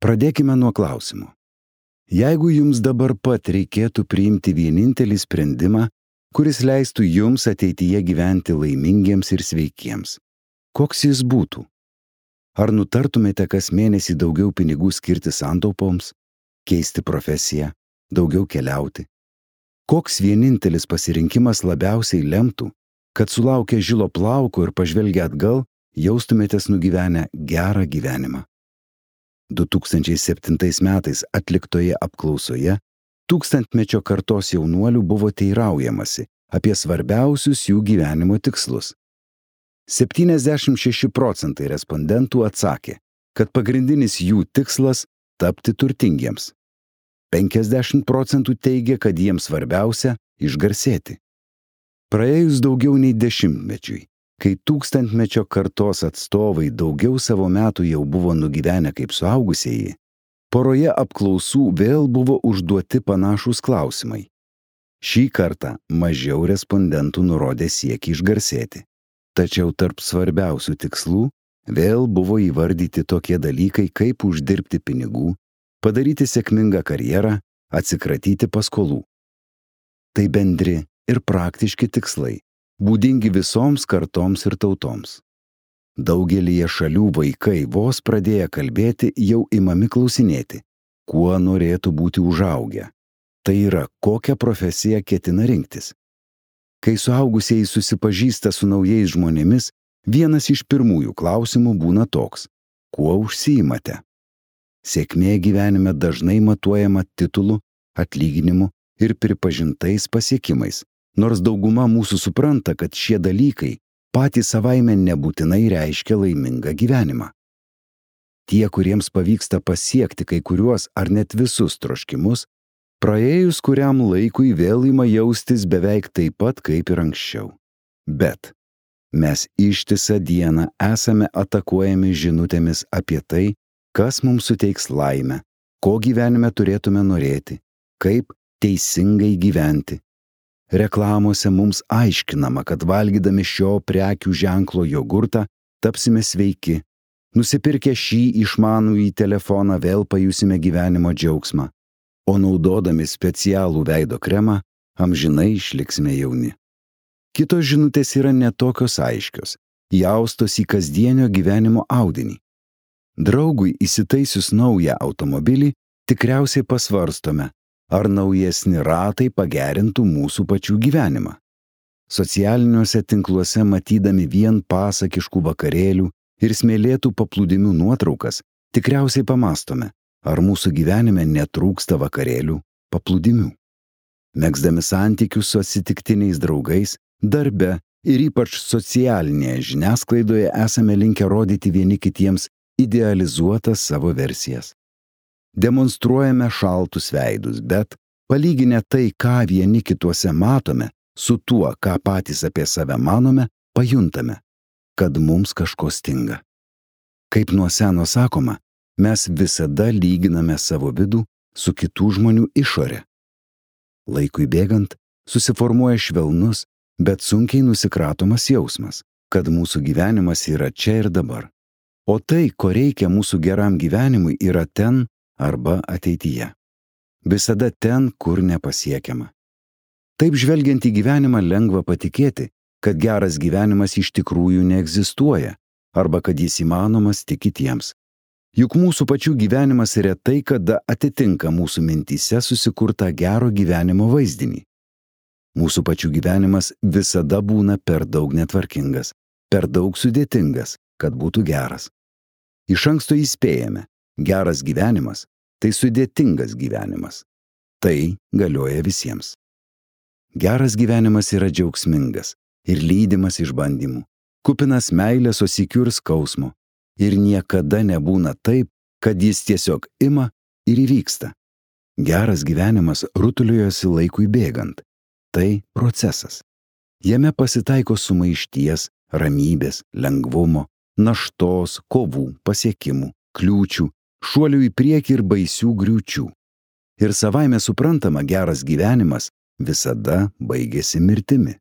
Pradėkime nuo klausimo. Jeigu jums dabar pat reikėtų priimti vienintelį sprendimą, kuris leistų jums ateityje gyventi laimingiems ir sveikiems, koks jis būtų? Ar nutartumėte kas mėnesį daugiau pinigų skirti santaupoms, keisti profesiją, daugiau keliauti? Koks vienintelis pasirinkimas labiausiai lemtų, kad sulaukę žilo plauko ir pažvelgę atgal, jaustumėtės nugyvenę gerą gyvenimą? 2007 metais atliktoje apklausoje tūkstantmečio kartos jaunuolių buvo teiraujamasi apie svarbiausius jų gyvenimo tikslus. 76% respondentų atsakė, kad pagrindinis jų tikslas – tapti turtingiems. 50% teigė, kad jiems svarbiausia – išgarsėti. Praėjus daugiau nei 10-mečiui, kai tūkstantmečio kartos atstovai daugiau savo metų jau buvo nugyvenę kaip suaugusieji, poroje apklausų vėl buvo užduoti panašūs klausimai. Šį kartą mažiau respondentų nurodė siekį išgarsėti. Tačiau tarp svarbiausių tikslų vėl buvo įvardyti tokie dalykai, kaip uždirbti pinigų, padaryti sėkmingą karjerą, atsikratyti paskolų. Tai bendri ir praktiški tikslai, būdingi visoms kartoms ir tautoms. Daugelyje šalių vaikai vos pradėję kalbėti jau imami klausinėti, kuo norėtų būti užaugę. Tai yra, kokią profesiją ketina rinktis. Kai suaugusieji susipažįsta su naujais žmonėmis, vienas iš pirmųjų klausimų būna toks: kuo užsiimate? Sėkmė gyvenime dažnai matuojama titulu, atlyginimu ir pripažintais pasiekimais, nors dauguma mūsų supranta, kad šie dalykai patys savaime nebūtinai reiškia laimingą gyvenimą. Tie, kuriems pavyksta pasiekti kai kuriuos ar net visus troškimus, praėjus kuriam laikui vėl ima jaustis beveik taip pat kaip ir anksčiau. Bet mes ištisą dieną esame atakuojami žinutėmis apie tai, kas mums suteiks laimę, ko gyvenime turėtume norėti, kaip teisingai gyventi. Reklamose mums aiškinama, kad valgydami šio prekių ženklo jogurtą tapsime sveiki, nusipirkę šį išmanųjį telefoną vėl pajusime gyvenimo džiaugsmą, o naudodami specialų veido kremą amžinai išliksime jauni. Kitos žinutės yra netokios aiškios, įaustos į kasdienio gyvenimo audinį. Draugui įsitaisius naują automobilį tikriausiai pasvarstome, ar naujesni ratai pagerintų mūsų pačių gyvenimą. Socialiniuose tinkluose matydami vien pasakiškų vakarėlių ir smėlėtų paplūdimių nuotraukas, tikriausiai pamastome, ar mūsų gyvenime netrūksta vakarėlių, paplūdimių. Megzdami santykius su atsitiktiniais draugais, darbe ir ypač socialinėje žiniasklaidoje esame linkę rodyti vieni kitiems idealizuotas savo versijas. Demonstruojame šaltus veidus, bet palyginę tai, ką vieni kituose matome, su tuo, ką patys apie save manome, pajuntame, kad mums kažko stinga. Kaip nuo seno sakoma, mes visada lyginame savo vidų su kitų žmonių išore. Laikui bėgant susiformuoja švelnus, bet sunkiai nusikratomas jausmas, kad mūsų gyvenimas yra čia ir dabar. O tai, ko reikia mūsų geram gyvenimui, yra ten arba ateityje. Visada ten, kur nepasiekiama. Taip žvelgiant į gyvenimą lengva patikėti, kad geras gyvenimas iš tikrųjų neegzistuoja, arba kad jis įmanomas tik kitiems. Juk mūsų pačių gyvenimas retai kada atitinka mūsų mintyse susikurtą gero gyvenimo vaizdinį. Mūsų pačių gyvenimas visada būna per daug netvarkingas, per daug sudėtingas, kad būtų geras. Iš anksto įspėjame, geras gyvenimas – tai sudėtingas gyvenimas. Tai galioja visiems. Geras gyvenimas yra džiaugsmingas ir lydimas išbandymų, kupinas meilės, o sykiu ir skausmo. Ir niekada nebūna taip, kad jis tiesiog ima ir įvyksta. Geras gyvenimas rutuliojasi laikui bėgant. Tai procesas. Jame pasitaiko sumaišties, ramybės, lengvumo, naštos, kovų, pasiekimų, kliūčių, šuolių į priekį ir baisių griūčių. Ir savaime suprantama, geras gyvenimas visada baigėsi mirtimi.